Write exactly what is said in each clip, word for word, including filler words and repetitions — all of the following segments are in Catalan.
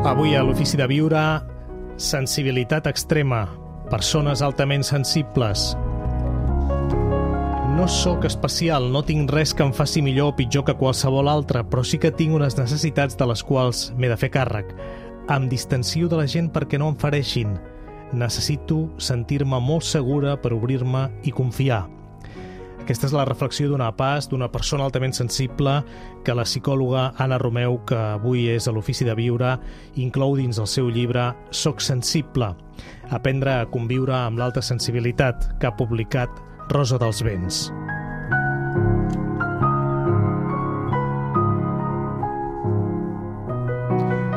Avui a l'Ofici de Viure, sensibilitat extrema, persones altament sensibles. No sóc especial, no tinc res que em faci millor o pitjor que qualsevol altre, però sí que tinc unes necessitats de les quals m'he de fer càrrec. Em distancio de la gent perquè no em fereixin. Necessito sentir-me molt segura per obrir-me i confiar. Aquesta és la reflexió d'una pas, d'una persona altament sensible que la psicòloga Anna Romeu, que avui és a l'Ofici de Viure, inclou dins el seu llibre Soc sensible, aprendre a conviure amb l'alta sensibilitat, que ha publicat Rosa dels Vents.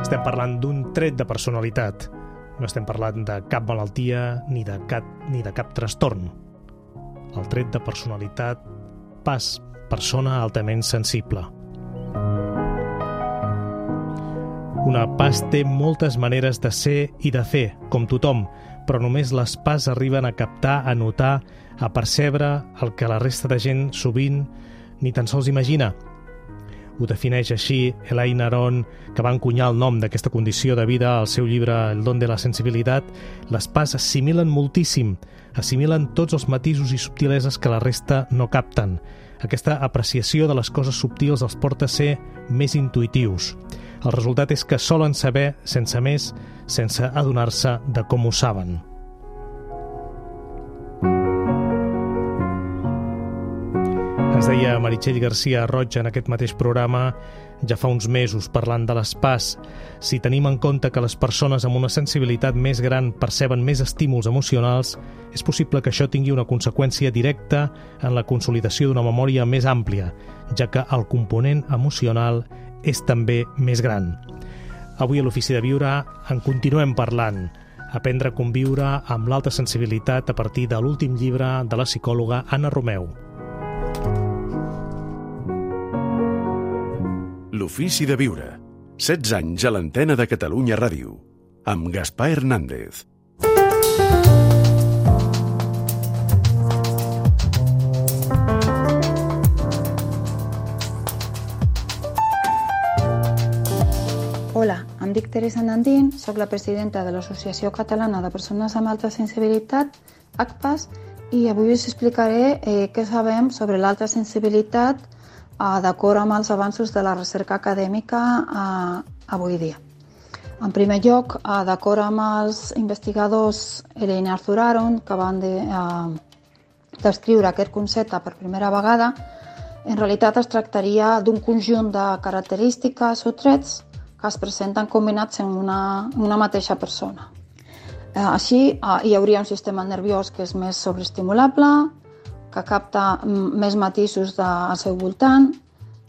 Estem parlant d'un tret de personalitat. No estem parlant de cap malaltia ni de cap, ni de cap trastorn. El tret de personalitat, pas, persona altament sensible. Una pas té moltes maneres de ser i de fer, com tothom, però només les pas arriben a captar, a notar, a percebre el que la resta de gent sovint ni tan sols imagina. Ho defineix així Elaine Aron, que va encunyar el nom d'aquesta condició de vida al seu llibre El don de la sensibilitat. Les pas assimilen moltíssim, assimilen tots els matisos i subtileses que la resta no capten. Aquesta apreciació de les coses subtils els porta a ser més intuitius. El resultat és que solen saber, sense més, sense adonar-se de com ho saben. Ens deia Meritxell García Roig en aquest mateix programa ja fa uns mesos parlant de les pas. Si tenim en compte que les persones amb una sensibilitat més gran perceben més estímuls emocionals, és possible que això tingui una conseqüència directa en la consolidació d'una memòria més àmplia, ja que el component emocional és també més gran. Avui a l'Ofici de Viure en continuem parlant. Aprendre a conviure amb l'alta sensibilitat a partir de l'últim llibre de la psicòloga Anna Romeu. L'Ofici de Viure. setze anys a l'antena de Catalunya Ràdio. Amb Gaspar Hernández. Hola, em dic Teresa Nandín, soc la presidenta de l'Associació Catalana de Persones amb Alta Sensibilitat, A C P A S, i avui us explicaré eh, què sabem sobre l'alta sensibilitat d'acord amb els avanços de la recerca acadèmica eh, avui dia. En primer lloc, eh, d'acord amb els investigadors Elaine Arthur Aron, que van de, eh, descriure aquest concepte per primera vegada, en realitat es tractaria d'un conjunt de característiques o trets que es presenten combinats en una, una mateixa persona. Eh, així, eh, hi hauria un sistema nerviós que és més sobreestimulable, que capta més matisos del seu voltant.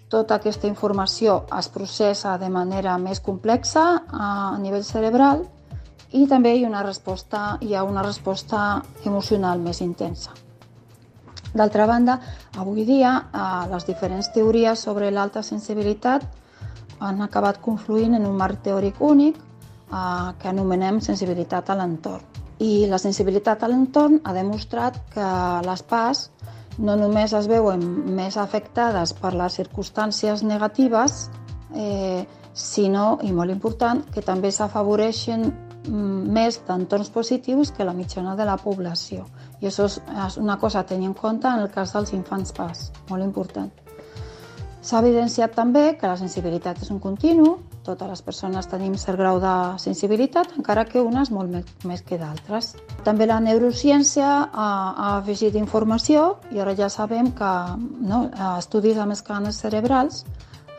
Tota aquesta informació es processa de manera més complexa a nivell cerebral i també hi ha una resposta, hi ha una resposta emocional més intensa. D'altra banda, avui dia les diferents teories sobre l'alta sensibilitat han acabat confluint en un marc teòric únic que anomenem sensibilitat a l'entorn. I la sensibilitat a l'entorn ha demostrat que les pas no només es veuen més afectades per les circumstàncies negatives, eh, sinó, i molt important, que també s'afavoreixen més d'entorns positius que la mitjana de la població. I això és una cosa a tenir en compte en el cas dels infants pas, molt important. S'ha evidenciat també que la sensibilitat és un continu, totes les persones tenim cert grau de sensibilitat, encara que unes molt més que d'altres. També la neurociència ha, ha afegit informació i ara ja sabem que no, estudis amb escàners cerebrals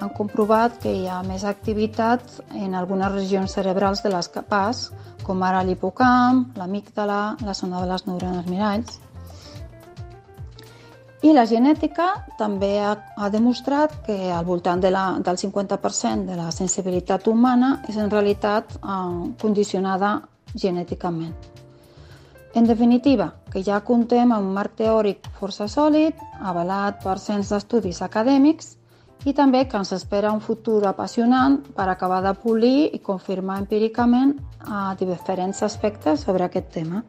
han comprovat que hi ha més activitat en algunes regions cerebrals de les pas, com ara l'hipocamp, l'amígdala, la zona de les neurones miralls. I la genètica també ha, ha demostrat que al voltant de la, del cinquanta per cent de la sensibilitat humana és en realitat eh, condicionada genèticament. En definitiva, que ja comptem amb un marc teòric força sòlid, avalat per cents d'estudis acadèmics, i també que ens espera un futur apassionant per acabar de polir i confirmar empíricament a diferents aspectes sobre aquest tema.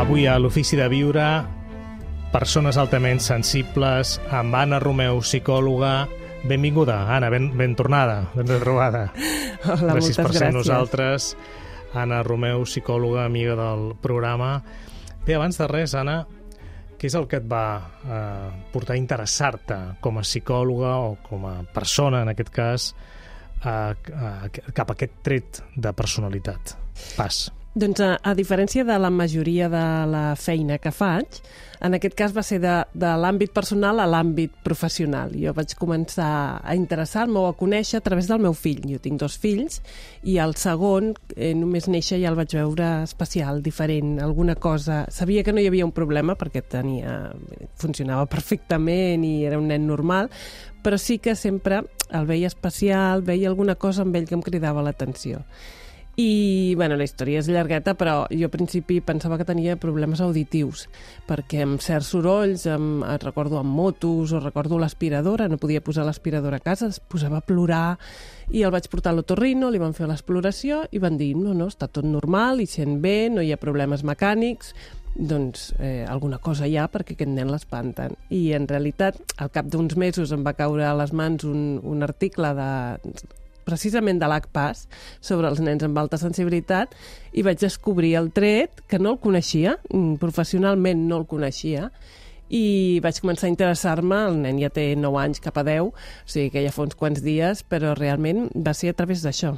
Avui a l'Ofici de Viure, persones altament sensibles, amb Anna Romeu, psicòloga. Benvinguda, Anna, ben, ben tornada, ben retrobada. Hola, gràcies per ser gràcies. nosaltres. Anna Romeu, psicòloga, amiga del programa. Bé, abans de res, Anna, què és el que et va eh, portar a interessar-te com a psicòloga o com a persona, en aquest cas, eh, cap a aquest tret de personalitat? Pas. Doncs a, a diferència de la majoria de la feina que faig, en aquest cas va ser de, de l'àmbit personal a l'àmbit professional. Jo vaig començar a interessar-me o a conèixer a través del meu fill. Jo tinc dos fills i el segon, eh, només néixer, ja el vaig veure especial, diferent, alguna cosa. Sabia que no hi havia un problema perquè tenia, funcionava perfectament i era un nen normal, però sí que sempre el veia especial, veia alguna cosa amb ell que em cridava l'atenció. I, bueno, la història és llargueta, però jo al principi pensava que tenia problemes auditius, perquè amb certs sorolls, amb, recordo amb motos o recordo l'aspiradora, no podia posar l'aspiradora a casa, es posava a plorar, i el vaig portar a l'otorrino, li van fer l'exploració i van dir, no, no, està tot normal, hi sent bé, no hi ha problemes mecànics, doncs eh, alguna cosa hi ha perquè aquest nen l'espanten. I en realitat, al cap d'uns mesos em va caure a les mans un, un article de... precisament de l'A C P A S, sobre els nens amb alta sensibilitat, i vaig descobrir el tret, que no el coneixia, professionalment no el coneixia, i vaig començar a interessar-me. El nen ja té nou anys cap a deu, o sigui que ja fa uns quants dies, però realment va ser a través d'això.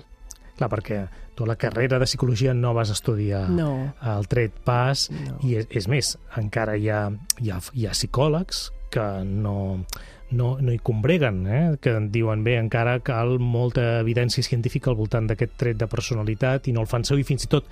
Clar, perquè tu a la carrera de psicologia no vas estudiar no. el tret pas, no. i és, és més, encara hi ha, hi ha, hi ha psicòlegs que no... No, no hi combreguen, eh? Que diuen, bé, encara cal molta evidència científica al voltant d'aquest tret de personalitat i no el fan servir, fins i tot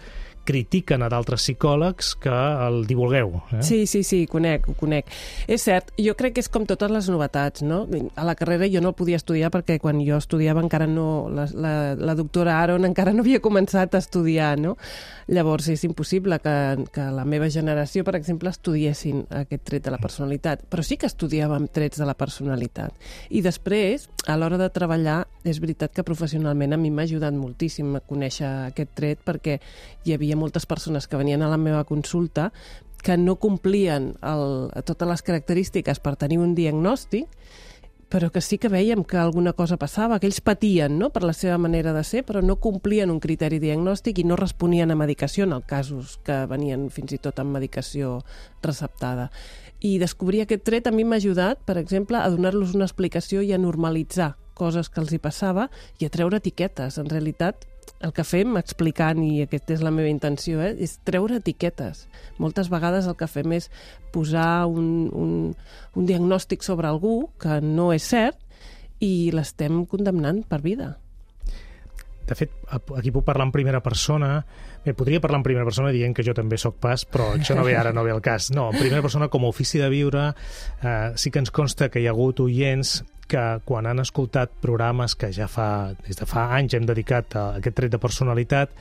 critiquen a d'altres psicòlegs que el divulgueu. Eh? Sí, sí, sí, conec, ho conec. És cert, jo crec que és com totes les novetats, no? A la carrera jo no el podia estudiar perquè quan jo estudiava encara no... La, la, la doctora Aaron encara no havia començat a estudiar, no? Llavors és impossible que, que la meva generació, per exemple, estudiessin aquest tret de la personalitat, però sí que estudiàvem trets de la personalitat. I després, a l'hora de treballar, és veritat que professionalment a mi m'ha ajudat moltíssim a conèixer aquest tret perquè hi havia moltes persones que venien a la meva consulta que no complien el, totes les característiques per tenir un diagnòstic, però que sí que veiem que alguna cosa passava, que ells patien, no?, per la seva manera de ser, però no complien un criteri diagnòstic i no responien a medicació en els casos que venien fins i tot amb medicació receptada. I descobrir aquest tret a mi m'ha ajudat, per exemple, a donar-los una explicació i a normalitzar coses que els hi passava i a treure etiquetes. En realitat, el que fem explicant, i aquesta és la meva intenció, eh, és treure etiquetes. Moltes vegades el que fem és posar un, un, un diagnòstic sobre algú que no és cert i l'estem condemnant per vida. De fet, aquí puc parlar en primera persona. Bé, podria parlar en primera persona dient que jo també sóc pas, però això no ve ara, no ve al cas. No, en primera persona, com a ofici de viure, eh, sí que ens consta que hi ha hagut oients que quan han escoltat programes que ja fa, des de fa anys hem dedicat a aquest tret de personalitat,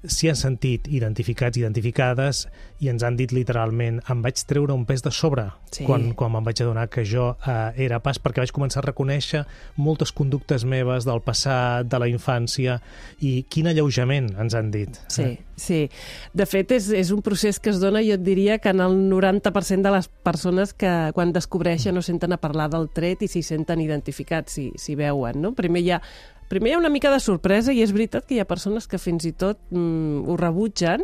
s'hi han sentit identificats, identificades, i ens han dit literalment, em vaig treure un pes de sobre sí. quan, quan me'n vaig adonar que jo eh, era pas, perquè vaig començar a reconèixer moltes conductes meves del passat, de la infància, i quin alleujament ens han dit. Sí, eh? sí. De fet, és, és un procés que es dona, jo et diria, que en el noranta per cent de les persones que quan descobreixen no senten a parlar del tret i s'hi senten identificats, si, si veuen, no? Primer hi ha Primer hi ha una mica de sorpresa i és veritat que hi ha persones que fins i tot mm, ho rebutgen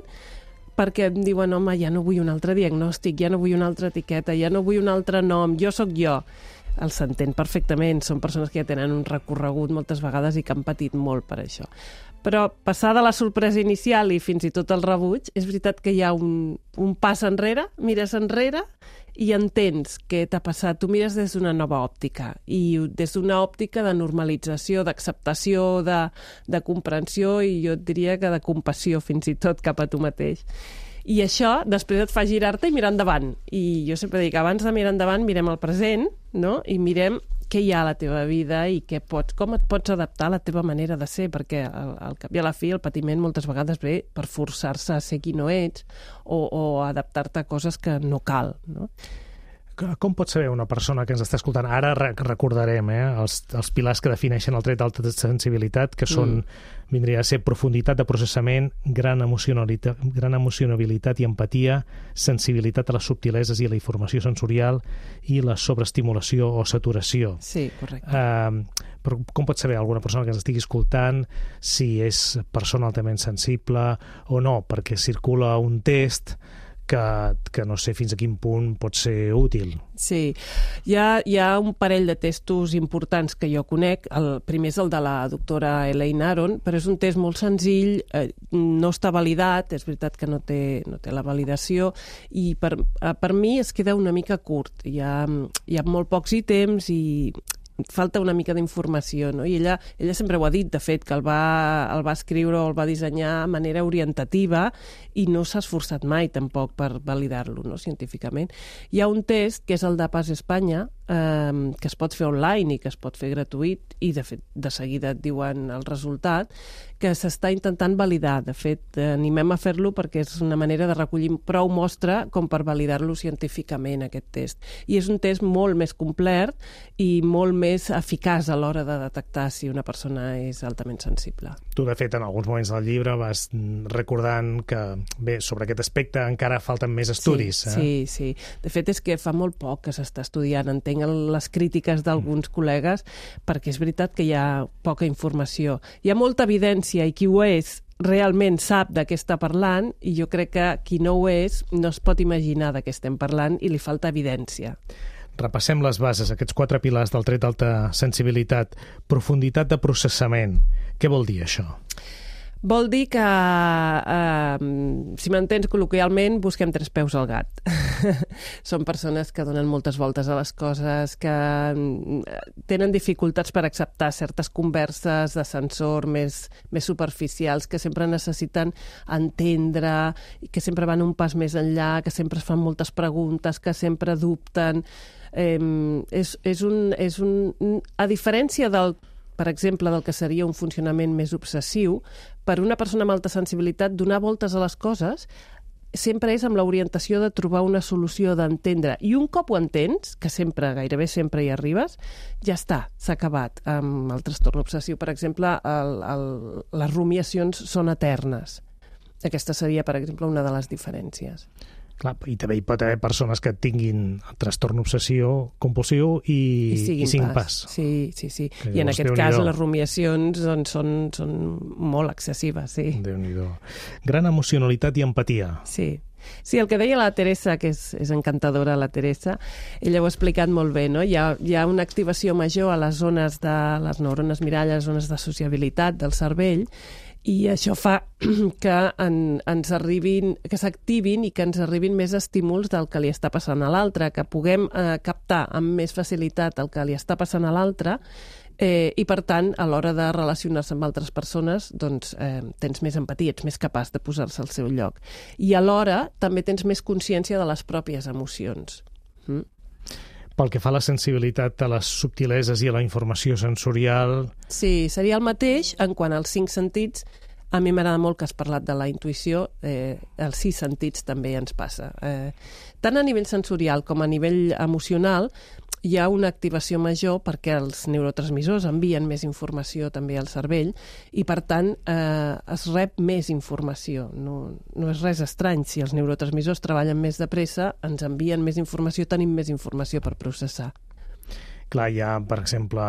perquè em diuen, home, ja no vull un altre diagnòstic, ja no vull una altra etiqueta, ja no vull un altre nom, jo sóc jo. Els s'entén perfectament, són persones que ja tenen un recorregut moltes vegades i que han patit molt per això. Però passada la sorpresa inicial i fins i tot el rebuig, és veritat que hi ha un, un pas enrere, mires enrere i entens què t'ha passat. Tu mires des d'una nova òptica i des d'una òptica de normalització, d'acceptació, de, de comprensió i jo et diria que de compassió fins i tot cap a tu mateix. I això després et fa girar-te i mirar endavant. I jo sempre dic, abans de mirar endavant mirem el present, no? I mirem què hi ha a la teva vida i què pots, com et pots adaptar a la teva manera de ser, perquè al, al cap i a la fi el patiment moltes vegades ve per forçar-se a ser qui no ets o, o adaptar-te a coses que no cal, no? Com pot saber una persona que ens està escoltant? Ara recordarem eh, els, els pilars que defineixen el tret d'alta sensibilitat, que són, mm. vindria a ser profunditat de processament, gran emocionalitat, gran emocionabilitat i empatia, sensibilitat a les subtileses i a la informació sensorial i la sobreestimulació o saturació. Sí, correcte. Uh, però com pot saber alguna persona que ens estigui escoltant si és persona altament sensible o no? Perquè circula un test que, que no sé fins a quin punt pot ser útil. Sí, hi ha, hi ha un parell de testos importants que jo conec. El primer és el de la doctora Elaine Aron, però és un test molt senzill, eh, no està validat, és veritat que no té, no té la validació, i per, per mi es queda una mica curt. Hi ha, hi ha molt pocs ítems i falta una mica d'informació, no? I ella, ella sempre ho ha dit, de fet, que el va, el va escriure o el va dissenyar de manera orientativa i no s'ha esforçat mai tampoc per validar-lo, no?, científicament. Hi ha un test, que és el de Pas Espanya, eh, que es pot fer online i que es pot fer gratuït, i de fet, de seguida et diuen el resultat, que s'està intentant validar. De fet, animem a fer-lo perquè és una manera de recollir prou mostra com per validar-lo científicament, aquest test. I és un test molt més complet i molt més eficaç a l'hora de detectar si una persona és altament sensible. Tu, de fet, en alguns moments del llibre vas recordant que, bé, sobre aquest aspecte encara falten més estudis. Sí, eh? sí, sí. De fet, és que fa molt poc que s'està estudiant. Entenc les crítiques d'alguns mm. col·legues, perquè és veritat que hi ha poca informació. Hi ha molta evidència i qui ho és realment sap de què està parlant, i jo crec que qui no ho és no es pot imaginar de què estem parlant i li falta evidència. Repassem les bases, aquests quatre pilars del tret d'alta sensibilitat. Profunditat de processament. Què vol dir això? Vol dir que, eh, si m'entens col·loquialment, busquem tres peus al gat. Són persones que donen moltes voltes a les coses, que tenen dificultats per acceptar certes converses d'ascensor més, més superficials, que sempre necessiten entendre, que sempre van un pas més enllà, que sempre es fan moltes preguntes, que sempre dubten. Eh, és, és un, és un, a diferència del per exemple, del que seria un funcionament més obsessiu, per una persona amb alta sensibilitat, donar voltes a les coses sempre és amb l'orientació de trobar una solució, d'entendre. I un cop ho entens, que sempre, gairebé sempre hi arribes, ja està, s'ha acabat. Amb el trastorn obsessiu, per exemple, el, el, les rumiacions són eternes. Aquesta seria, per exemple, una de les diferències. Clar, i també hi pot haver persones que tinguin trastorn obsessiu compulsiu i, I, i cinc pas. pas. Sí, sí, sí. Que I en aquest cas les rumiacions doncs, són, són molt excessives, sí. Déu-n'hi-do. Gran emocionalitat i empatia. Sí. Sí, el que deia la Teresa, que és, és encantadora, la Teresa, ella ho ha explicat molt bé, no? Hi ha, hi ha una activació major a les zones de les neurones mirall, les zones de sociabilitat del cervell, i això fa que en, ens arribin, que s'activin i que ens arribin més estímuls del que li està passant a l'altre, que puguem eh, captar amb més facilitat el que li està passant a l'altre, eh, i per tant, a l'hora de relacionar-se amb altres persones, doncs eh, tens més empatia, ets més capaç de posar-se al seu lloc. I alhora també tens més consciència de les pròpies emocions. Mm? Pel que fa a la sensibilitat a les subtileses i a la informació sensorial... Sí, seria el mateix en quant als cinc sentits. A mi m'agrada molt que has parlat de la intuïció, eh, els sis sentits també ens passa. Eh, tant a nivell sensorial com a nivell emocional hi ha una activació major perquè els neurotransmissors envien més informació també al cervell i, per tant, eh, es rep més informació. No, no és res estrany. Si els neurotransmissors treballen més de pressa, ens envien més informació, tenim més informació per processar. Clar, hi ha, per exemple,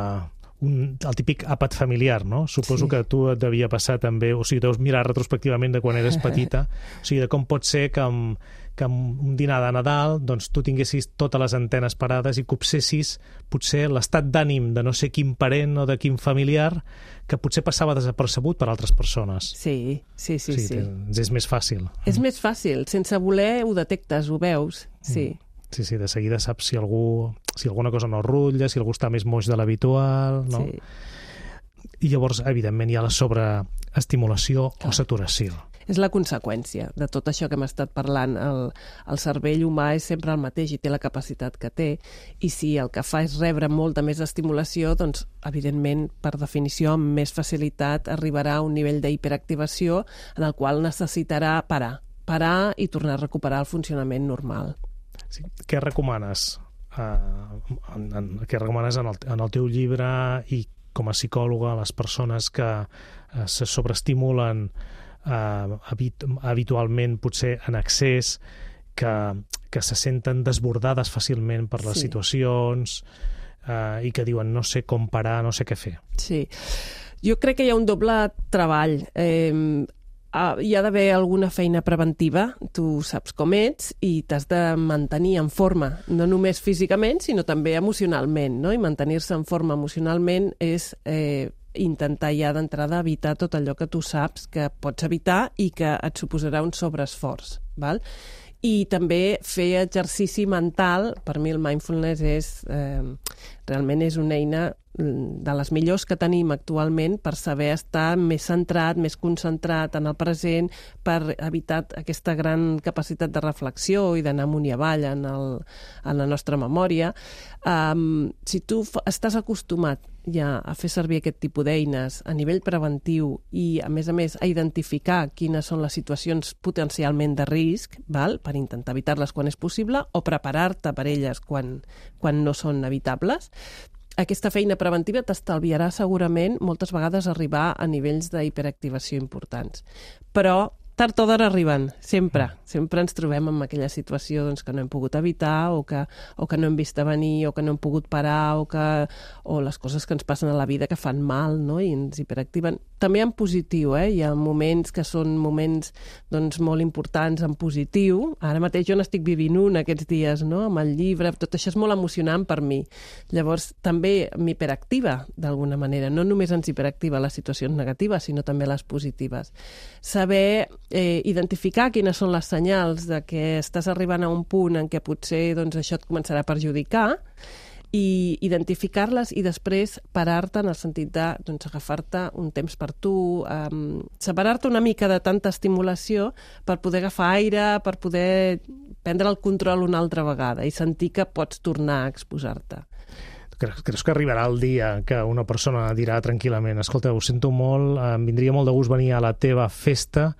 un, el típic àpat familiar, no? Suposo sí. que tu et devia passar també, o sigui, deus mirar retrospectivament de quan eres petita, o sigui, de com pot ser que amb, que amb un dinar de Nadal doncs, tu tinguessis totes les antenes parades i copsessis potser l'estat d'ànim de no sé quin parent o de quin familiar que potser passava desapercebut per altres persones. Sí, sí, sí. sí, sí. És més fàcil. És més fàcil. Sense voler ho detectes, ho veus. Sí. Mm. Sí, sí, de seguida saps si algú, si alguna cosa no rutlla, si algú està més moix de l'habitual, no? Sí. I llavors, evidentment, hi ha la sobreestimulació Clar. o saturació. És la conseqüència de tot això que hem estat parlant. El, el cervell humà és sempre el mateix i té la capacitat que té, i si el que fa és rebre molta més estimulació, doncs, evidentment, per definició, amb més facilitat arribarà a un nivell d'hiperactivació en el qual necessitarà parar, parar i tornar a recuperar el funcionament normal. Sí. Què recomanes eh, en, en, que recomanes en el, en el teu llibre i com a psicòloga a les persones que eh, se sobreestimulen eh, habit, habitualment, potser en excés, que, que se senten desbordades fàcilment per les Sí. situacions eh, i que diuen no sé com parar, no sé què fer. Sí. Jo crec que hi ha un doble treball. Eh, Uh, hi ha d'haver alguna feina preventiva, tu saps com ets i t'has de mantenir en forma, no només físicament, sinó també emocionalment, no? I mantenir-se en forma emocionalment és eh, intentar ja d'entrada evitar tot allò que tu saps que pots evitar i que et suposarà un sobreesforç, val? I també fer exercici mental. Per mi el mindfulness és, eh, realment és una eina de les millors que tenim actualment per saber estar més centrat, més concentrat en el present, per evitar aquesta gran capacitat de reflexió i d'anar amunt i avall en, el, en la nostra memòria. Um, si tu estàs acostumat ja a fer servir aquest tipus d'eines a nivell preventiu i, a més a més, a identificar quines són les situacions potencialment de risc, val? Per intentar evitar-les quan és possible o preparar-te per elles quan, quan no són evitables, aquesta feina preventiva t'estalviarà segurament moltes vegades arribar a nivells d'hiperactivació importants. Però tard o d'hora arriben, sempre. Sempre ens trobem en aquella situació doncs, que no hem pogut evitar o que, o que no hem vist venir o que no hem pogut parar o, que, o les coses que ens passen a la vida que fan mal, no? I ens hiperactiven. També en positiu, eh? Hi ha moments que són moments doncs, molt importants en positiu. Ara mateix jo n'estic vivint un aquests dies, no? Amb el llibre, tot això és molt emocionant per mi. Llavors també m'hiperactiva d'alguna manera. No només ens hiperactiva les situacions negatives, sinó també les positives. Saber eh, identificar quines són les senyals de que estàs arribant a un punt en què potser doncs, això et començarà a perjudicar i identificar-les i després parar-te en el sentit de doncs, agafar-te un temps per tu, um, separar-te una mica de tanta estimulació per poder agafar aire, per poder prendre el control una altra vegada i sentir que pots tornar a exposar-te. Creus, creus que arribarà el dia que una persona dirà tranquil·lament escolta, ho sento molt, em vindria molt de gust venir a la teva festa,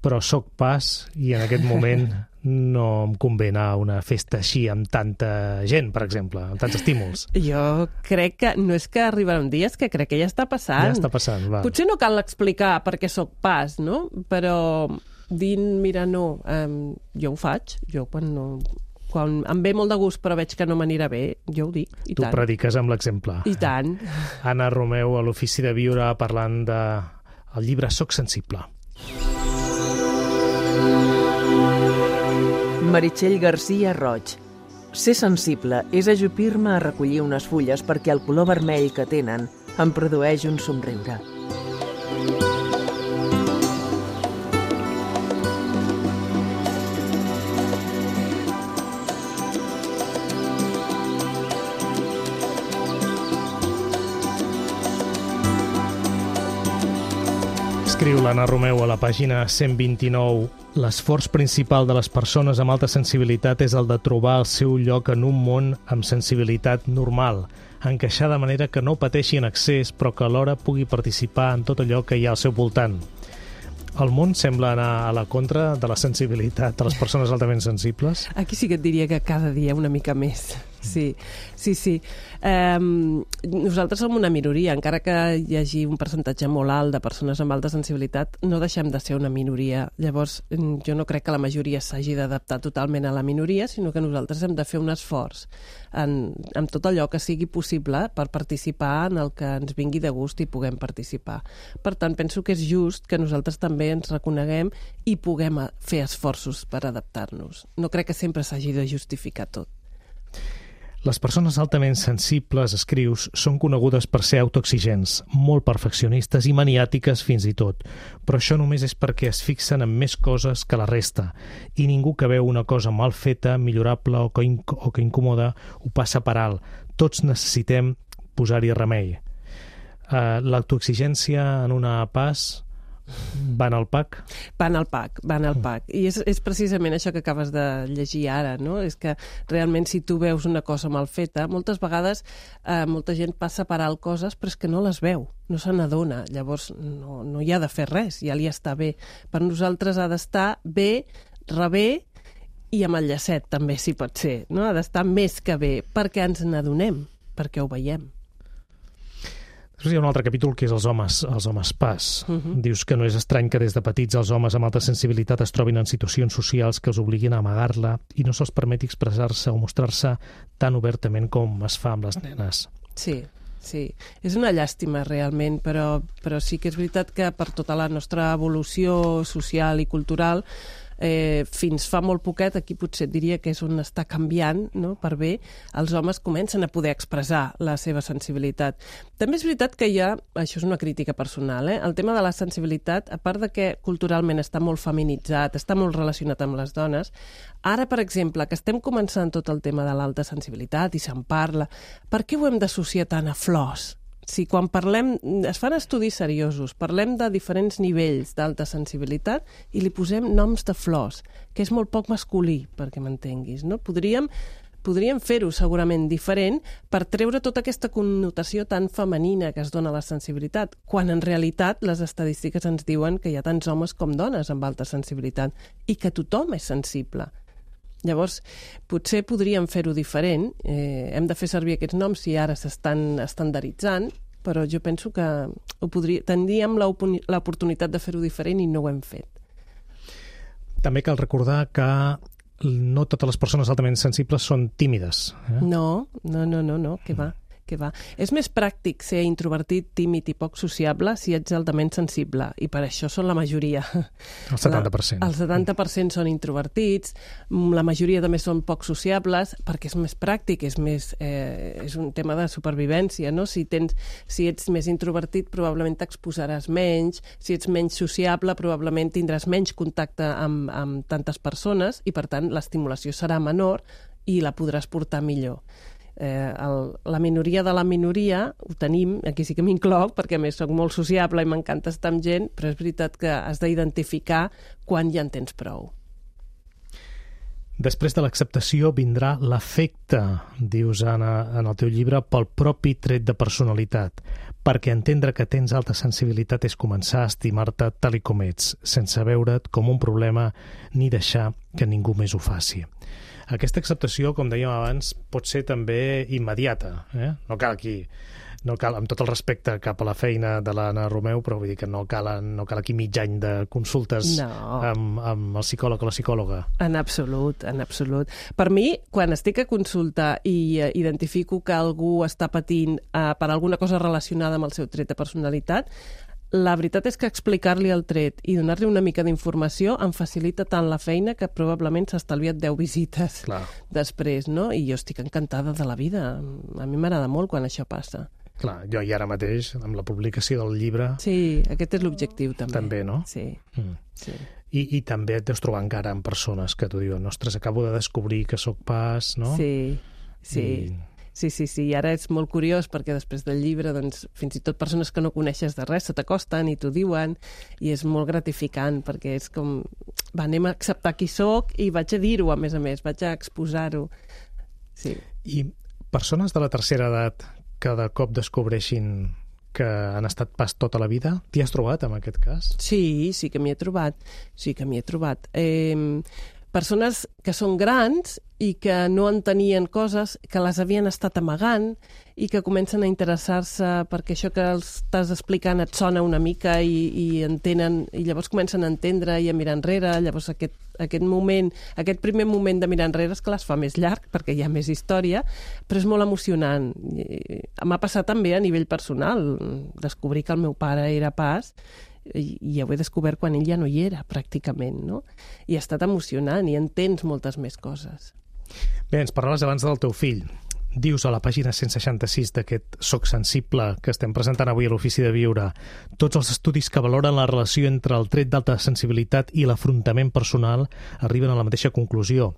però soc pas i en aquest moment no em convé anar a una festa així amb tanta gent, per exemple, amb tants estímuls. Jo crec que no és que arribarà un dia, és que crec que ja està passant. Ja està passant, va. Potser no cal explicar per què soc pas, no? Però dient, mira, no, um, jo ho faig, jo quan no... quan em ve molt de gust però veig que no m'anirà bé, jo ho dic, i tu tant. Tu prediques amb l'exemple. I tant. Anna Romeu, a l'Ofici de Viure, parlant de el llibre Soc sensible. Meritxell Garcia Roig. Ser sensible és ajupir-me a recollir unes fulles perquè el color vermell que tenen em produeix un somriure. Escriu l'Anna Romeu a la pàgina cent vint-i-nou. L'esforç principal de les persones amb alta sensibilitat és el de trobar el seu lloc en un món amb sensibilitat normal, encaixar de manera que no pateixi en excés, però que alhora pugui participar en tot allò que hi ha al seu voltant. El món sembla anar a la contra de la sensibilitat de les persones altament sensibles? Aquí sí que et diria que cada dia una mica més. Sí, sí, sí. Um, nosaltres som una minoria, encara que hi hagi un percentatge molt alt de persones amb alta sensibilitat, no deixem de ser una minoria. Llavors, jo no crec que la majoria s'hagi d'adaptar totalment a la minoria, sinó que nosaltres hem de fer un esforç en, en tot allò que sigui possible per participar en el que ens vingui de gust i puguem participar. Per tant, penso que és just que nosaltres també ens reconeguem i puguem fer esforços per adaptar-nos. No crec que sempre s'hagi de justificar tot. Les persones altament sensibles, escrius, són conegudes per ser autoexigents, molt perfeccionistes i maniàtiques fins i tot, però això només és perquè es fixen en més coses que la resta, i ningú que veu una cosa mal feta, millorable o que, inc o que incomoda ho passa per alt. Tots necessitem posar-hi remei. Uh, L'autoexigència en una pas van al pack? Van al pack, van al pack. I és, és precisament això que acabes de llegir ara, no? És que realment si tu veus una cosa mal feta, moltes vegades eh, molta gent passa per alt coses, però és que no les veu, no se n'adona. Llavors no, no hi ha de fer res, ja li està bé. Per nosaltres ha d'estar bé, rebé I amb el llacet també, si pot ser, no? Ha d'estar més que bé, perquè ens n'adonem, perquè ho veiem. Després hi ha un altre capítol que és els homes, els homes pas. Uh-huh. Dius que no és estrany que des de petits els homes amb alta sensibilitat es trobin en situacions socials que els obliguin a amagar-la i no se'ls permeti expressar-se o mostrar-se tan obertament com es fa amb les nenes. Sí, sí. És una llàstima realment, però, però sí que és veritat que per tota la nostra evolució social i cultural Eh, fins fa molt poquet, aquí potser diria que és on està canviant, no? Per bé, els homes comencen a poder expressar la seva sensibilitat. També és veritat que hi ha, això és una crítica personal, eh? El tema de la sensibilitat, a part de que culturalment està molt feminitzat, està molt relacionat amb les dones, ara, per exemple, que estem començant tot el tema de l'alta sensibilitat i se'n parla, per què ho hem d'associar tant a flors? Si quan parlem, es fan estudis seriosos, parlem de diferents nivells d'alta sensibilitat i li posem noms de flors, que és molt poc masculí, perquè m'entenguis, no? Podríem, podríem fer-ho segurament diferent per treure tota aquesta connotació tan femenina que es dona a la sensibilitat, quan en realitat les estadístiques ens diuen que hi ha tants homes com dones amb alta sensibilitat i que tothom és sensible. Llavors, potser podríem fer-ho diferent, eh, hem de fer servir aquests noms si ara s'estan estandarditzant, però jo penso que ho podria, tindríem l'oportunitat de fer-ho diferent i no ho hem fet. També cal recordar que no totes les persones altament sensibles són tímides. Eh? No, no, no, no, no, que va. Que va. És més pràctic ser introvertit, tímid i poc sociable si ets altament sensible, i per això són la majoria. El setanta per cent. El setanta per cent són introvertits, la majoria també són poc sociables, perquè és més pràctic, és, més, eh, és un tema de supervivència, no? Si, tens, si ets més introvertit, probablement t'exposaràs menys, si ets menys sociable, probablement tindràs menys contacte amb, amb tantes persones, i per tant l'estimulació serà menor i la podràs portar millor. Eh, el, la minoria de la minoria ho tenim, aquí sí que m'incloc perquè a més soc molt sociable i m'encanta estar amb gent, però és veritat que has d'identificar quan ja en tens prou. Després de l'acceptació vindrà l'afecte, dius Anna, en el teu llibre, pel propi tret de personalitat, perquè entendre que tens alta sensibilitat és començar a estimar-te tal i com ets, sense veure't com un problema ni deixar que ningú més ho faci. Aquesta acceptació, com dèiem abans, pot ser també immediata. Eh? No cal aquí, no cal, amb tot el respecte cap a la feina de l'Anna Romeu, però vull dir que no cal, no cal aquí mig any de consultes no. amb, amb el psicòleg o la psicòloga. En absolut, en absolut. Per mi, quan estic a consulta i uh, identifico que algú està patint uh, per alguna cosa relacionada amb el seu tret de personalitat, la veritat és que explicar-li el tret i donar-li una mica d'informació em facilita tant la feina que probablement s'ha estalviat deu visites Clar. després, no? I jo estic encantada de la vida. A mi m'agrada molt quan això passa. Clar, jo i ara mateix, amb la publicació del llibre... Sí, aquest és l'objectiu també. També, no? Sí, mm. sí. I, I també et deus trobar encara amb persones que t'ho diuen, ostres, acabo de descobrir que sóc pas, no? Sí, sí. I... Sí, sí, sí, i ara és molt curiós perquè després del llibre, doncs, fins i tot persones que no coneixes de res se t'acosten i t'ho diuen, i és molt gratificant perquè és com, va, anem a acceptar qui sóc i vaig a dir-ho, a més a més, vaig a exposar-ho. Sí. I persones de la tercera edat que de cop descobreixin que han estat pas tota la vida, t'hi has trobat en aquest cas? Sí, sí que m'hi he trobat, sí que m'hi he trobat. Eh, persones que són grans i que no entenien coses, que les havien estat amagant i que comencen a interessar-se perquè això que els estàs explicant et sona una mica i, i entenen, i llavors comencen a entendre i a mirar enrere. Llavors aquest, aquest moment, aquest primer moment de mirar enrere és que les fa més llarg perquè hi ha més història, però és molt emocionant. M'ha passat també a nivell personal, descobrir que el meu pare era pas i, i ho he descobert quan ell ja no hi era, pràcticament, no? I ha estat emocionant i entens moltes més coses. Bé, ens parlaves abans del teu fill. Dius a la pàgina cent seixanta-sis d'aquest Soc sensible que estem presentant avui a l'Ofici de Viure, tots els estudis que valoren la relació entre el tret d'alta sensibilitat i l'afrontament personal arriben a la mateixa conclusió.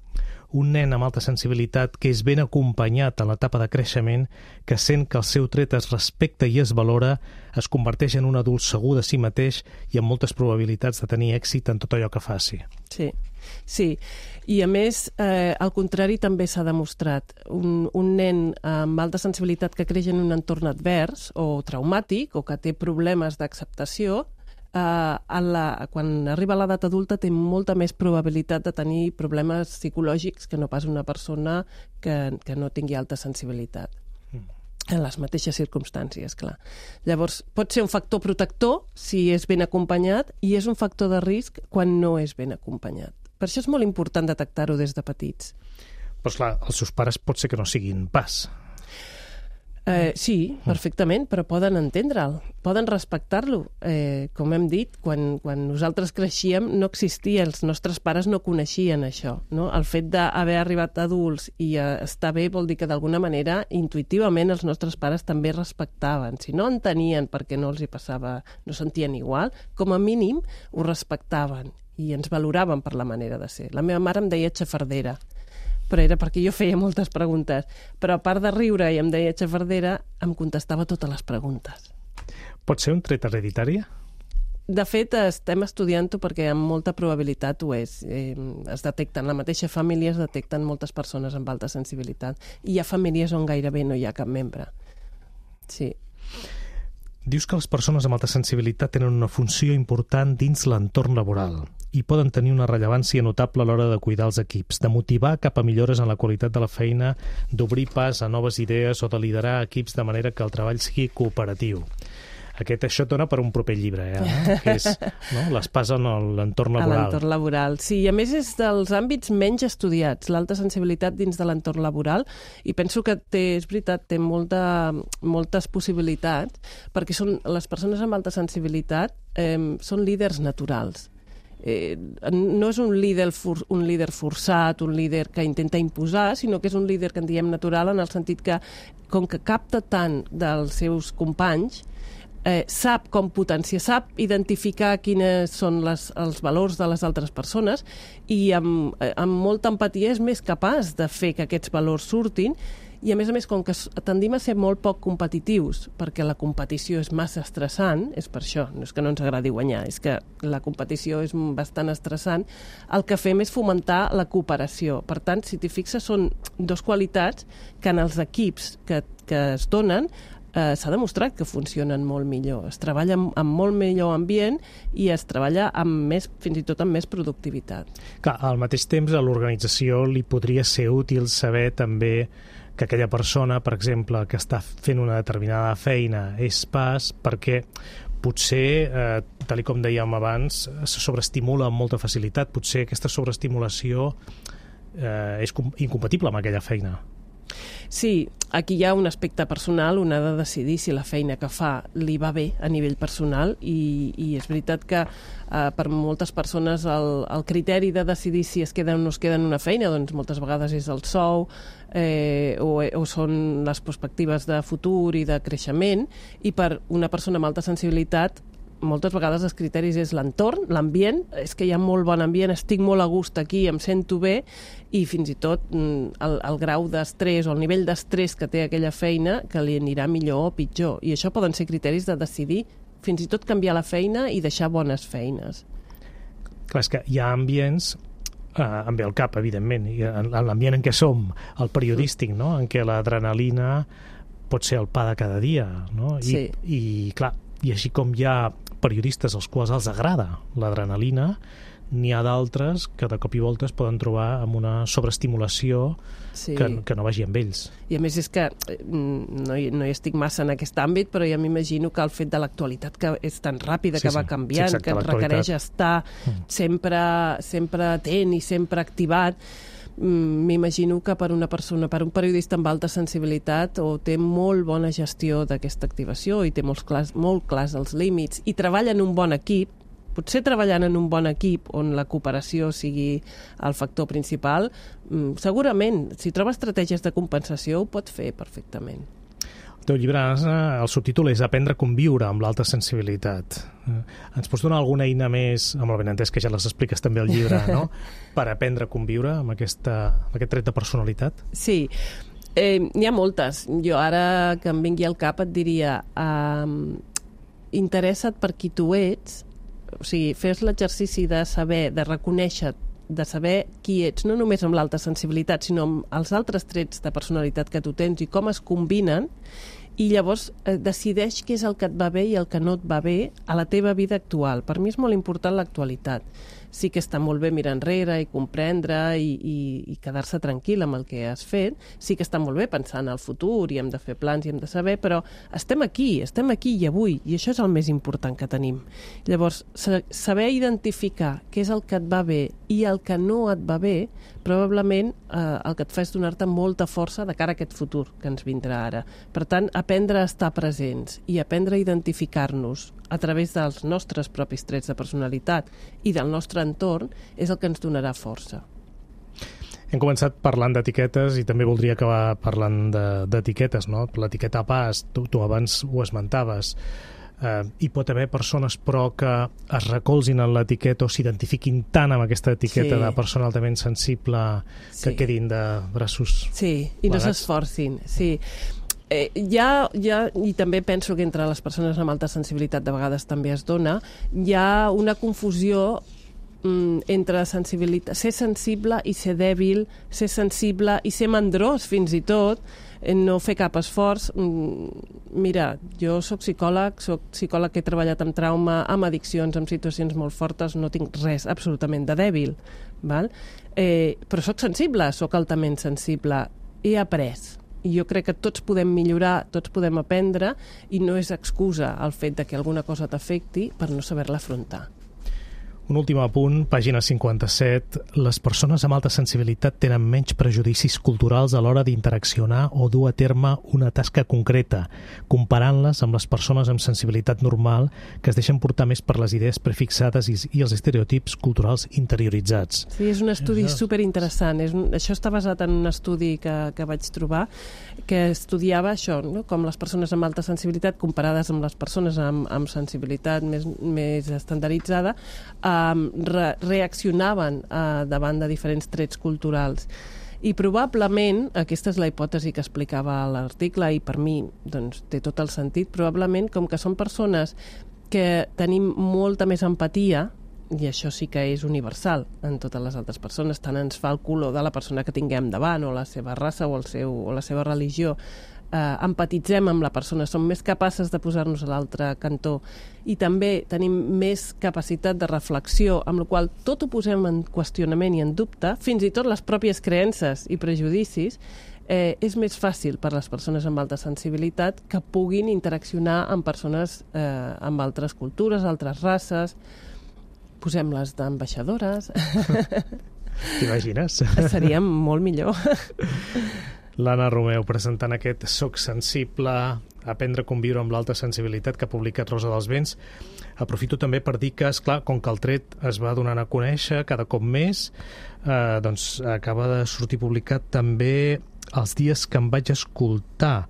Un nen amb alta sensibilitat que és ben acompanyat en l'etapa de creixement, que sent que el seu tret es respecta i es valora, es converteix en un adult segur de si mateix i amb moltes probabilitats de tenir èxit en tot allò que faci. Sí, sí. I a més, eh, al contrari també s'ha demostrat. Un, un nen amb alta sensibilitat que creix en un entorn advers o traumàtic o que té problemes d'acceptació, a la, quan arriba a l'edat adulta té molta més probabilitat de tenir problemes psicològics que no pas una persona que, que no tingui alta sensibilitat. En les mateixes circumstàncies, clar. Llavors, pot ser un factor protector si és ben acompanyat i és un factor de risc quan no és ben acompanyat. Per això és molt important detectar-ho des de petits. Però, esclar, els seus pares pot ser que no siguin pas. Eh, sí, perfectament, però poden entendre'l, poden respectar-lo. Eh, com hem dit, quan, quan nosaltres creixíem no existia, els nostres pares no coneixien això. No? El fet d'haver arribat adults i eh, estar bé vol dir que d'alguna manera, intuïtivament, els nostres pares també respectaven. Si no entenien perquè no els hi passava, no sentien igual, com a mínim ho respectaven i ens valoraven per la manera de ser. La meva mare em deia xafardera, però era perquè jo feia moltes preguntes. Però a part de riure i em deia xafardera, em contestava totes les preguntes. Pot ser un tret hereditari? De fet, estem estudiant-ho perquè amb molta probabilitat ho és. Eh, es detecten, la mateixa família es detecten moltes persones amb alta sensibilitat. I hi ha famílies on gairebé no hi ha cap membre. Sí. Dius que les persones amb alta sensibilitat tenen una funció important dins l'entorn laboral i poden tenir una rellevància notable a l'hora de cuidar els equips, de motivar cap a millores en la qualitat de la feina, d'obrir pas a noves idees o de liderar equips de manera que el treball sigui cooperatiu. Aquest, això et dona per un proper llibre, eh? Que és, no? Les pas en l'entorn laboral. A l'entorn laboral, sí. I a més és dels àmbits menys estudiats, l'alta sensibilitat dins de l'entorn laboral, i penso que té, és veritat, té molta, moltes possibilitats, perquè són, les persones amb alta sensibilitat eh, són líders naturals. Eh, no és un líder, for, un líder forçat, un líder que intenta imposar, sinó que és un líder que en diem natural en el sentit que, com que capta tant dels seus companys, Eh, sap com potenciar, sap identificar quines són les, els valors de les altres persones i amb, amb molta empatia és més capaç de fer que aquests valors surtin i, a més a més, com que tendim a ser molt poc competitius, perquè la competició és massa estressant, és per això, no és que no ens agradi guanyar, és que la competició és bastant estressant, el que fem és fomentar la cooperació. Per tant, si t'hi fixes, són dos qualitats que en els equips que, que es donen Eh, s'ha demostrat que funcionen molt millor. Es treballa amb, amb molt millor ambient i es treballa amb més, fins i tot amb més productivitat. Clar, al mateix temps a l'organització li podria ser útil saber també que aquella persona, per exemple, que està fent una determinada feina és pas perquè potser, eh, tal com dèiem abans, se sobreestimula amb molta facilitat. Potser aquesta sobreestimulació eh, és incompatible amb aquella feina. Sí, aquí hi ha un aspecte personal, un ha de decidir si la feina que fa li va bé a nivell personal i, i és veritat que eh, per moltes persones el, el criteri de decidir si es queda o no es queda en una feina doncs moltes vegades és el sou eh, o, o són les perspectives de futur i de creixement i per una persona amb alta sensibilitat moltes vegades els criteris és l'entorn, l'ambient, és que hi ha molt bon ambient, estic molt a gust aquí, em sento bé, i fins i tot el, el grau d'estrès o el nivell d'estrès que té aquella feina que li anirà millor o pitjor. I això poden ser criteris de decidir fins i tot canviar la feina i deixar bones feines. Clar, és que hi ha ambients, eh, em ve al cap, evidentment, i en l'ambient en què som, el periodístic, no? En què l'adrenalina pot ser el pa de cada dia, no? I, sí. I, clar, i així com hi ha periodistes als quals els agrada l'adrenalina, n'hi ha d'altres que de cop i volta es poden trobar amb una sobreestimulació sí. que, que no vagi amb ells. I a més és que no hi, no hi estic massa en aquest àmbit, però ja m'imagino que el fet de l'actualitat que és tan ràpida, sí, que va canviant, sí, exacte, que requereix estar mm. sempre, sempre atent i sempre activat, m'imagino que per una persona, per un periodista amb alta sensibilitat o té molt bona gestió d'aquesta activació i té molts clars, molt clars els límits i treballa en un bon equip, potser treballant en un bon equip on la cooperació sigui el factor principal, segurament, si troba estratègies de compensació, ho pot fer perfectament. El teu llibre, el subtítol és Aprendre a conviure amb l'alta sensibilitat. Ens pots donar alguna eina més, amb el benentès que ja les expliques també al llibre, no? Per aprendre a conviure amb, aquesta, amb aquest tret de personalitat? Sí, eh, n'hi ha moltes. Jo ara que em vingui al cap et diria eh, interessa't per qui tu ets, o sigui, fes l'exercici de saber, de reconèixer, de saber qui ets, no només amb l'alta sensibilitat, sinó amb els altres trets de personalitat que tu tens i com es combinen, i llavors eh, decideix què és el que et va bé i el que no et va bé a la teva vida actual. Per mi és molt important l'actualitat. Sí que està molt bé mirar enrere i comprendre i, i, i quedar-se tranquil amb el que has fet. Sí que està molt bé pensar en el futur i hem de fer plans i hem de saber, però estem aquí, estem aquí i avui, i això és el més important que tenim. Llavors, saber identificar què és el que et va bé i el que no et va bé, probablement eh, el que et fa és donar-te molta força de cara a aquest futur que ens vindrà ara. Per tant, aprendre a estar presents i aprendre a identificar-nos a través dels nostres propis trets de personalitat i del nostre entorn és el que ens donarà força. Hem començat parlant d'etiquetes i també voldria acabar parlant d'etiquetes, no? L'etiqueta pas, tu, tu abans ho esmentaves. Eh, hi pot haver persones, però, que es recolzin en l'etiqueta o s'identifiquin tant amb aquesta etiqueta sí. de persona altament sensible que sí. quedin de braços Sí, i no s'esforcin, sí. Eh, ja, ja, i també penso que entre les persones amb alta sensibilitat de vegades també es dona, hi ha una confusió mm, entre sensibilitat, ser sensible i ser dèbil, ser sensible i ser mandrós fins i tot, no fer cap esforç. Mira, jo soc psicòleg, soc psicòleg que he treballat amb trauma, amb addiccions, amb situacions molt fortes, no tinc res absolutament de dèbil, val? Eh, però soc sensible, soc altament sensible, he après. I jo crec que tots podem millorar, tots podem aprendre, i no és excusa el fet de que alguna cosa t'afecti per no saber-la afrontar. Un últim apunt, pàgina cinquanta-set. Les persones amb alta sensibilitat tenen menys prejudicis culturals a l'hora d'interaccionar o dur a terme una tasca concreta, comparant-les amb les persones amb sensibilitat normal que es deixen portar més per les idees prefixades i, i els estereotips culturals interioritzats. Sí, és un estudi superinteressant. És un, això està basat en un estudi que, que vaig trobar que estudiava això, no? Com les persones amb alta sensibilitat comparades amb les persones amb, amb sensibilitat més, més estandarditzada eh, Re reaccionaven uh, davant de diferents trets culturals. I probablement, aquesta és la hipòtesi que explicava l'article i per mi doncs, té tot el sentit, probablement com que són persones que tenim molta més empatia, i això sí que és universal en totes les altres persones, tant ens fa el color de la persona que tinguem davant o la seva raça o, el seu, o la seva religió, eh, empatitzem amb la persona, som més capaces de posar-nos a l'altre cantó i també tenim més capacitat de reflexió, amb la qual tot ho posem en qüestionament i en dubte, fins i tot les pròpies creences i prejudicis, eh, és més fàcil per les persones amb alta sensibilitat que puguin interaccionar amb persones eh, amb altres cultures, altres races. Posem-les d'ambaixadores. T'imagines? Seria molt millor. L'Anna Romeu presentant aquest Soc sensible, aprendre a conviure amb l'alta sensibilitat que ha publicat Rosa dels Vents. Aprofito també per dir que, esclar, com que el tret es va donant a conèixer cada cop més, eh, doncs acaba de sortir publicat també Els dies que em vaig escoltar,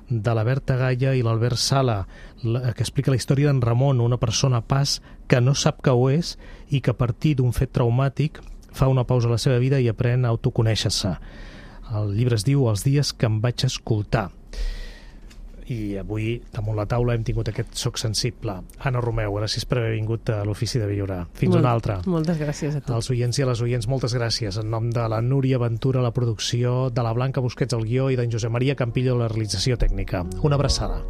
de la Berta Gaia i l'Albert Sala, que explica la història d'en Ramon, una persona pas que no sap que ho és i que a partir d'un fet traumàtic fa una pausa a la seva vida i aprèn a autoconèixer-se. El llibre es diu Els dies que em vaig escoltar. I avui, damunt la taula, hem tingut aquest Soc sensible. Anna Romeu, gràcies per haver vingut a l'Ofici de Viure. Fins Molt, una altra. Moltes gràcies a tu. Als oients i a les oients, moltes gràcies. En nom de la Núria Ventura, la producció, de la Blanca Busquets, el guió, i d'en Josep Maria Campillo, la realització tècnica. Una abraçada.